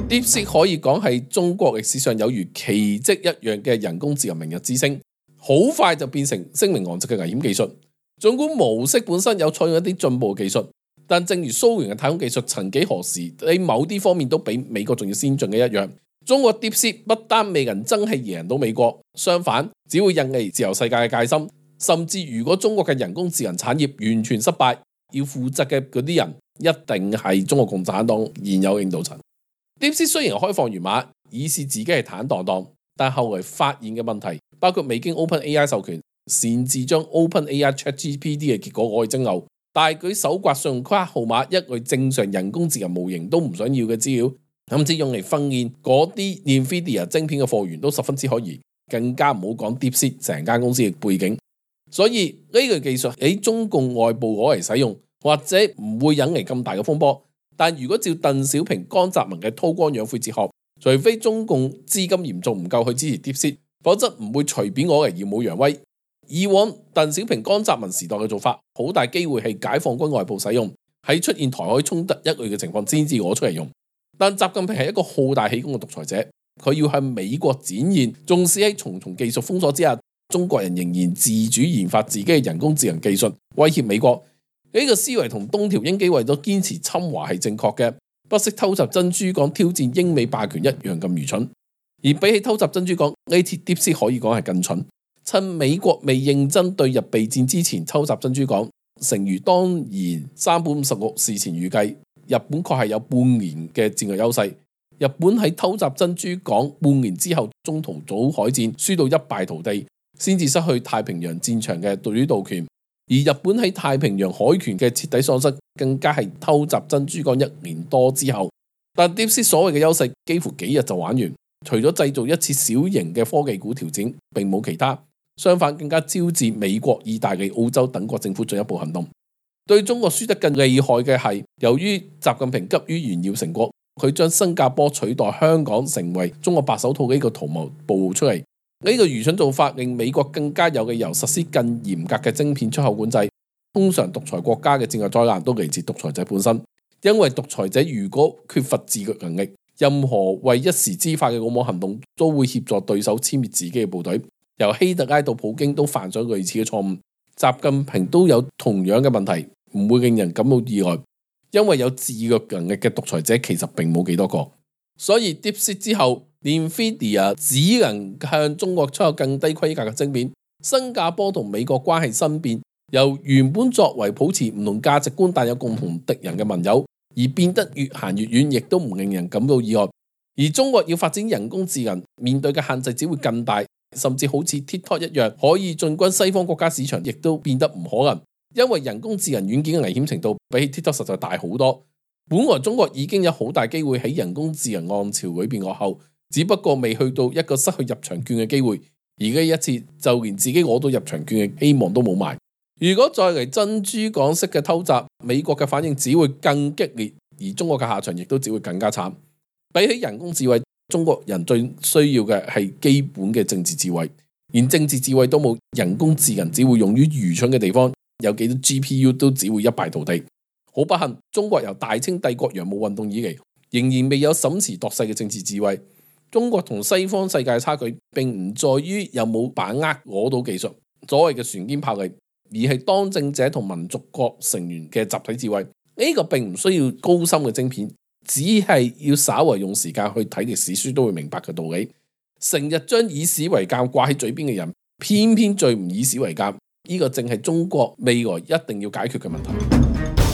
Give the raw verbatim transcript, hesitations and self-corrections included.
DeepSeek 可以講係中國歷史上有如奇蹟一樣嘅人工智能明日之星，好快就變成聲名狼藉嘅危險技術。儘管模式本身有採用一啲進步嘅技術，但正如蘇聯嘅太空技術曾幾何時喺某啲方面都比美國仲要先進嘅一樣，中國 DeepSeek 不單未能真係贏到美國，相反只會引嚟自由世界嘅戒心。甚至如果中國嘅人工智能產業完全失敗，要負責嘅嗰啲人一定係中國共產黨現有領導層。DeepSeek 雖然開放源碼，以示自己係坦蕩蕩，但後來發現嘅問題，包括未經 OpenAI 授權，擅自將 OpenAI ChatGPT 嘅結果攞去蒸餾，大舉搜刮信用卡號碼，一類正常人工智能模型都唔想要嘅資料，甚至用嚟訓練嗰啲 Nvidia 晶片嘅貨源都十分之可疑，更加唔好講 DeepSeek 成間公司嘅背景。所以呢個技術喺中共外部攞嚟使用，或者唔會引嚟咁大嘅風波。但如果照鄧小平、江澤民嘅韜光養晦哲學，除非中共資金嚴重唔夠去支持 DeepSeek，否則唔會隨便攞嚟耀武揚威。以往鄧小平、江澤民時代嘅做法，好大機會係解放軍外部使用，喺出現台海衝突一類嘅情況先至攞出嚟用。但習近平係一個好大喜功嘅獨裁者，佢要向美國展現，縱使喺重重技術封鎖之下，中國人仍然自主研發自己嘅人工智能技術，威脅美國。呢個思維同東條英機為咗堅持侵華係正確嘅，不惜偷襲珍珠港挑戰英美霸權一樣咁愚蠢。而比起偷襲珍珠港，呢次 DeepSeek 可以講係更蠢。趁美國未認真對日備戰之前偷襲珍珠港，誠如當年山本五十六事前預計，日本確係有半年嘅戰略優勢。日本喺偷襲珍珠港半年之後，中途島海戰輸到一敗塗地，先至失去太平洋戰場嘅主導權。而日本喺太平洋海權嘅徹底喪失，更加係偷襲珍珠港一年多之後。但 DeepSeek 所謂嘅優勢幾乎幾日就玩完，除咗製造一次小型嘅科技股調整，並冇其他。相反，更加招致美國、意大利、澳洲等國政府進一步行動。對中國輸得更厲害嘅係，由於習近平急於炫耀成果，佢將新加坡取代香港成為中國白手套嘅呢個圖謀暴露出嚟。呢個愚蠢做法令美國更加有理由實施更嚴格嘅晶片出口管制。通常獨裁國家嘅戰略災難都嚟自獨裁者本身，因為獨裁者如果缺乏自律能力，任何為一時之快嘅魯莽行動都會協助對手殲滅自己嘅部隊。由希特拉到普京都犯咗類似嘅錯誤，習近平都有同樣嘅問題，唔會令人感到意外，因為有自律能力嘅獨裁者其實並冇幾多個。所以 DeepSeek 之後，Nvidia 只能向中國出口更低規格嘅晶片。新加坡同美國關係新變，由原本作為保持唔同價值觀但有共同敵人嘅盟友，而變得越行越遠，亦都唔令人感到意外。而中國要發展人工智能，面對嘅限制只會更大，甚至好似 TikTok 一樣可以進軍西方國家市場，亦都變得唔可能，因為人工智能軟件嘅危險程度比起 TikTok 實在大好多。本來中國已經有好大機會喺人工智能浪潮裏邊落後，只不過未去到一個失去入場券嘅機會，而家一次就連自己攞到入場券嘅希望都冇埋。如果再嚟珍珠港式嘅偷襲，美國嘅反應只會更激烈，而中國嘅下場亦都只會更加慘。比起人工智慧，中國人最需要嘅係基本嘅政治智慧，連政治智慧都冇，人工智能只會用於愚蠢嘅地方，有幾多 G P U 都只會一敗塗地。好不幸，中國由大清帝國洋務運動以嚟，仍然未有審時度勢嘅政治智慧。中國同西方世界嘅差距，並唔在於有冇把握攞到技術，所謂嘅船堅炮利，而係當政者同民族國成員嘅集體智慧。呢個並唔需要高深嘅晶片，只係要稍為用時間去睇歷史書都會明白嘅道理。成日將以史為鑑掛喺嘴邊嘅人，偏偏最唔以史為鑑，呢個正係中國未來一定要解決嘅問題。